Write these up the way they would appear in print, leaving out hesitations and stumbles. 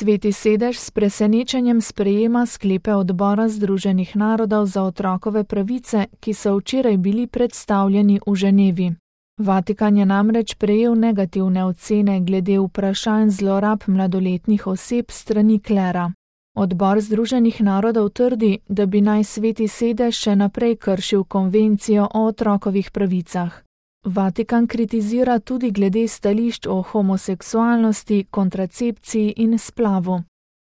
Sveti sedež s presenečenjem sprejema sklepe Odbora Združenih narodov za otrokove pravice, ki so včeraj bili predstavljeni v Ženevi. Vatikan je namreč prejel negativne ocene glede vprašanj zlorab mladoletnih oseb strani klera. Odbor Združenih narodov trdi, da bi naj Sveti sedež še naprej kršil konvencijo o otrokovih pravicah. Vatikan kritizira tudi glede stališč o homoseksualnosti, kontracepciji in splavu.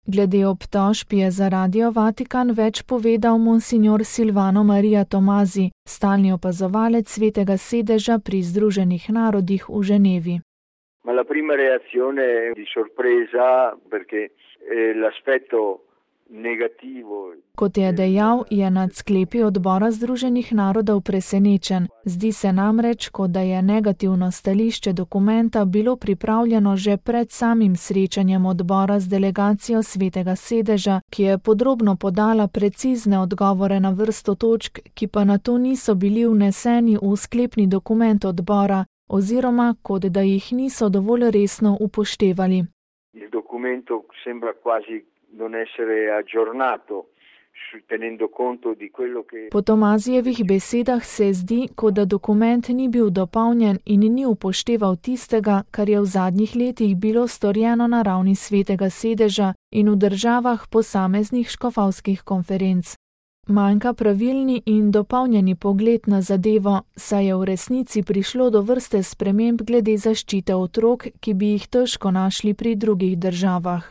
Glede obtožb je za Radio Vatikan več povedal monsignor Silvano Maria Tomazi, stalni opazovalec Svetega sedeža pri Združenih narodih v Ženevi. Ma la prima reazione è di sorpresa perché l'aspetto negativo. Kot je dejal, je nad sklepi Odbora Združenih narodov presenečen. Zdi se namreč, kot da je negativno stališče dokumenta bilo pripravljeno že pred samim srečanjem odbora z delegacijo Svetega sedeža, ki je podrobno podala precizne odgovore na vrsto točk, ki pa nato niso bili vneseni v sklepni dokument odbora, oziroma kot da jih niso dovolj resno upoštevali. Il documento sembra quasi non essere aggiornato, tenendo conto di quello che... Po Tomazijevih besedah se zdi, kot da dokument ni bil dopolnjen in ni upošteval tistega, kar je v zadnjih letih bilo storjeno na ravni Svetega sedeža in v državah posameznih škofovskih konferenc. Manjka pravilni in dopolnjeni pogled na zadevo, saj je v resnici prišlo do vrste sprememb glede zaščite otrok, ki bi jih težko našli pri drugih državah.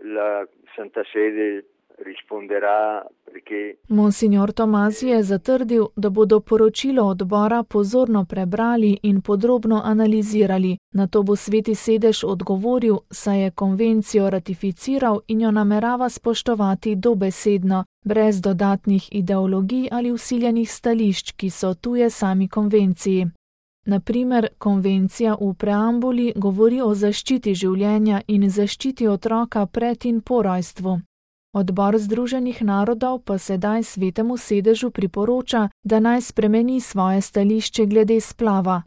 La Santa Sede risponderà perché... Monsignor Tomazi je zatrdil, da bodo poročilo odbora pozorno prebrali in podrobno analizirali. Nato bo Sveti sedež odgovoril, saj je konvencijo ratificiral in jo namerava spoštovati dobesedno, brez dodatnih ideologij ali vsiljenih stališč, ki so tuje sami konvenciji. Na primer, konvencija v preambuli govori o zaščiti življenja in zaščiti otroka pred in po rojstvu. Odbor Združenih narodov pa sedaj Svetemu sedežu priporoča, da naj spremeni svoje stališče glede splava.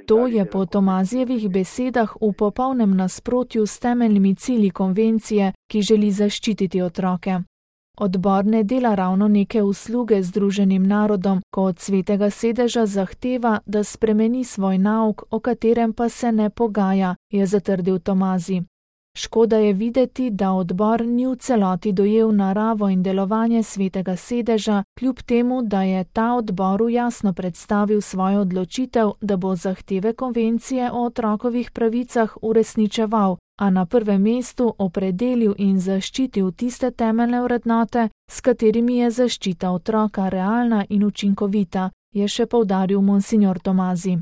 To je po Tomazijevih besedah v popolnem nasprotju s temeljnimi cilji konvencije, ki želi zaščititi otroke. Odbor ne dela ravno neke usluge Združenim narodom, ko od Svetega sedeža zahteva, da spremeni svoj nauk, o katerem pa se ne pogaja, je zatrdil Tomazi. Škoda je videti, da odbor ni v celoti dojel naravo in delovanje Svetega sedeža, kljub temu, da je ta odboru jasno predstavil svojo odločitev, da bo zahteve konvencije o otrokovih pravicah uresničeval, a na prvem mestu opredelil in zaščitil tiste temeljne vrednote, s katerimi je zaščita otroka realna in učinkovita, je še poudaril monsignor Tomazi.